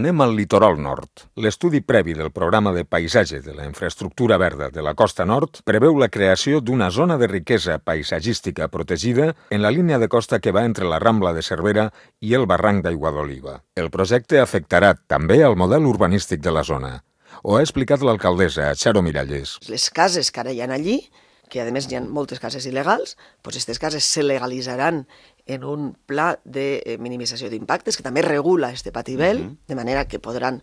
Anem al litoral nord. L'estudi previ del programa de paisatge de la infraestructura verda de la costa nord preveu la creació d'una zona de riquesa paisatgística protegida en la línia de costa que va entre la Rambla de Cervera i el barranc d'Aigua d'Oliva. El projecte afectarà també el model urbanístic de la zona. Ho ha explicat l'alcaldessa, Charo Miralles. Les cases que ara hi ha allí, que a més hi ha moltes cases il·legals, doncs aquestes cases se legalitzaran en un pla de minimització d'impactes que també regula este patibel, de manera que podran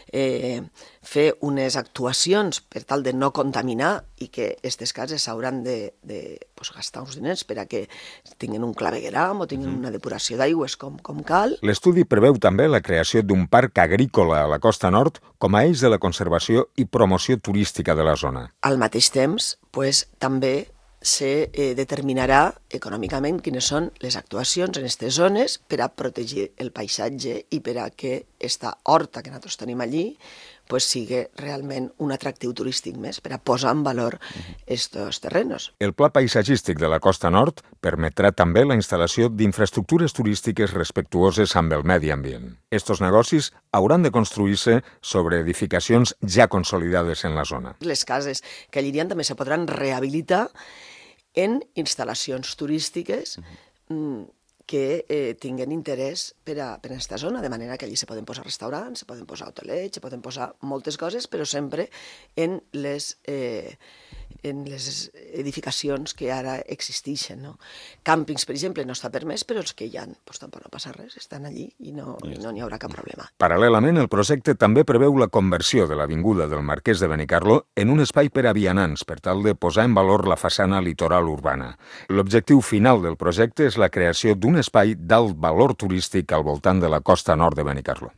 fer unes actuacions per tal de no contaminar i que aquestes cases s'hauran de gastar uns diners per a que tinguin un clavegueram o tinguin una depuració d'aigües com cal. L'estudi preveu també la creació d'un parc agrícola a la costa nord com a eix de la conservació i promoció turística de la zona. Al mateix temps, també se determinarà econòmicament quines són les actuacions en aquestes zones per a protegir el paisatge i per a que aquesta horta que nosaltres tenim allí sigui realment un atractiu turístic més, per a posar en valor aquests terrenos. El pla paisatgístic de la costa nord permetrà també la instal·lació d'infraestructures turístiques respectuoses amb el medi ambient. Estos negocis hauran de construir-se sobre edificacions ja consolidades en la zona. Les cases que allí hi ha també se podran rehabilitar en instal·lacions turístiques que tinguin interès per a aquesta zona, de manera que allí se poden posar restaurants, se poden posar hotelets, se poden posar moltes coses, però sempre en les edificacions que ara existeixen. Càmpings, per exemple, no està permès, però els que hi ha, tampoc no passa res, estan allí i no n'hi haurà cap problema. Paral·lelament, el projecte també preveu la conversió de l'avinguda del Marquès de Benicarló en un espai per a vianants, per tal de posar en valor la façana litoral urbana. L'objectiu final del projecte és la creació d'un espai d'alt valor turístic al voltant de la costa nord de Benicarló.